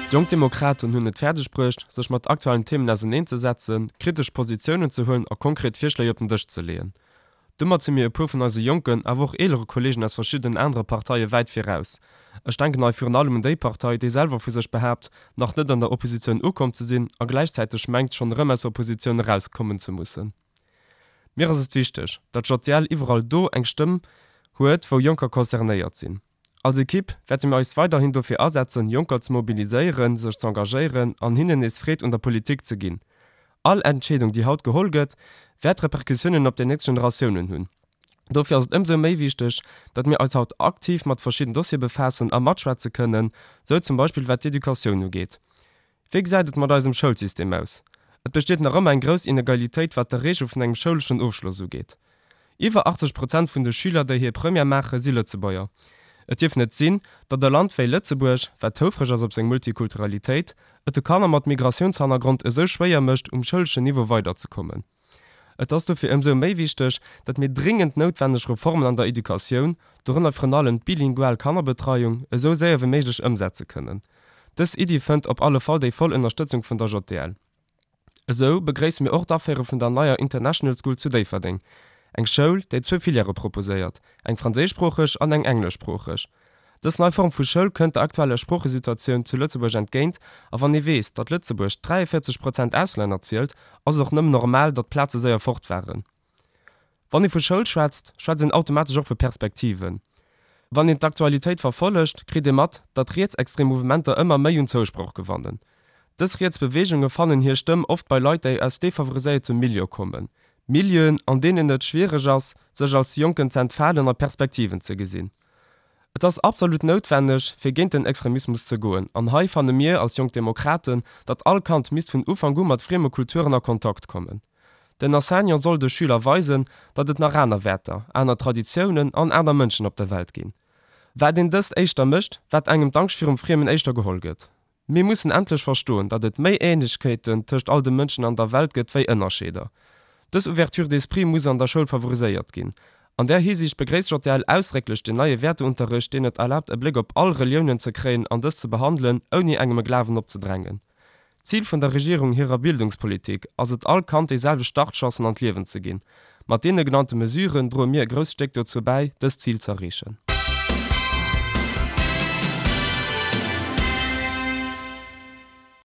D'Jonk Demokraten hunn et fäerdeg bruecht, sech mat aktuellen Themen auseneen ze setzen, kritesch Positiounen ze huelen a konkret Virschléi op den Dësch ze leeën. Domat si mir e puer vun eise jonken, awer och eelere Kolleegen aus verschiddenen anere Parteie wäit viraus. Ech denken hei virun allem un déi Partei, déi selwer vu sech behaapt, nach net an der Oppositioun ukomm ze sinn a gläichzäiteg mengt, schonn erëm aus der Oppositioun erauskommen ze mussen. Mir ass et wichteg, datt JDL iwwerall do eng Stëmm huet, wou Jonker concernéiert sinn. Als Ekipp wäerte mir eis weiderhin dofir asetzen, Jonker ze mobiliséieren, sech z'engagéieren an hinnen nees Freed un der Politik ze ginn. All Entscheedung, déi haut geholl gëtt, wäert Repercussiounen op déi nächst Generatiounen hunn. Dofir ass et ëmsou méi wichteg, datt mir eis haut aktiv mat verschidden Dossiere befaassen a matschwätze kënnen, sou zum Beispill wat d'Educatioun ugeet. Wéi gesäit et mat eisem Schoulsystem aus? Et besteet nach ëmmer eng grouss Inegalitéit wat d'Erreeche vun engem schouleschen Ofschloss ugeet. Iwwer 80 Prozent vun de Schüler, déi hir Première maachen, si Lëtzebuerger. Et dierf net sinn, datt e Land wéi Lëtzebuerg, wat houfreg ass op seng Multikulturalitéit, et de Kanner mat Migratiounshannergrond esou schwéier mécht, um schouleschen Niveau weiderzekommen. Et ass dofir ëmsou méi wichteg, datt mir dringend noutwenneg Reformen an der Educatioun, dorënner virun allem d'bilingual Kannerbetreiung, esou séier wéi méiglech ëmsetze kënnen. Dës Iddi fënnt op alle Fall déi voll Ënnerstëtzung vun der JDL. Esou begréisse mir och d'Aféiere vun der neier International School zu Déifferdeng, eng Schoul, déi zwou Filièrë proposéiert, eng franséischsproocheg an eng engleschsproocheg. Dës nei Form vu Schoul kënnt der aktueller Sproochesituatioun zu Lëtzebuerg entgéint a wann ee weess, datt Lëtzebuerg 43 Prozent Auslänner zielt, ass et och nëmmen normal, datt d'Plaze séier fort waren. Wann ee vu Schoul schwätzt, schwätzt een automatesch och vu Perspektiven. Wann een d'Aktualitéit verfollegt, kritt ee mat, datt rietsextrem Mouvementer ëmmer méi un Zousproch gewannen. Dës riets Beweegunge fannen hir Stëmm oft bei Leit, déi aus defavoriséierte Milieue kommen, Milieuen, an deenen et schwiereg ass, sech als Jonken z'entfalen a Perspektiven ze gesinn. Et ass absolut noutwenneg, fir géint den Extremismus ze goen. An hei fanne mir als Jonk Demokraten, datt all Kand misst vun Ufank u mat frieme Kulturen a Kontakt kommen. Den Enseignant soll de Schüler weisen, datt et nach aner Wäerter, aner Traditiounen an aner Mënschen op der Welt ginn. Wat een dëst éischter mécht, wat engem d'Angscht virum Friemen éischter geholl gëtt. Mir mussen endlech verstoen, datt et méi Ähnlechkeeten tëscht all de Mënschen an der Welt gëtt wéi Ënnerscheeder. Dës Ouverture d'esprit muss an der Schoul favoriséiert ginn. An där Hisiicht begréisst JDL ausdrécklech den neie Wäerteunterricht, deen et erlaabt e Bléck op all Reliounen ze kréien an dës ze behandelen, ouni engem e Glawen opzedrängen. D'Zil vun der Regierung hirer Bildungspolitik ass et all Kand déi selwecht Startchancen an d'Liewen ze ginn. Mat deene genannte Mesuren droe mir e grousst Stéck dozou bäi, dëst Zil z'erreechen.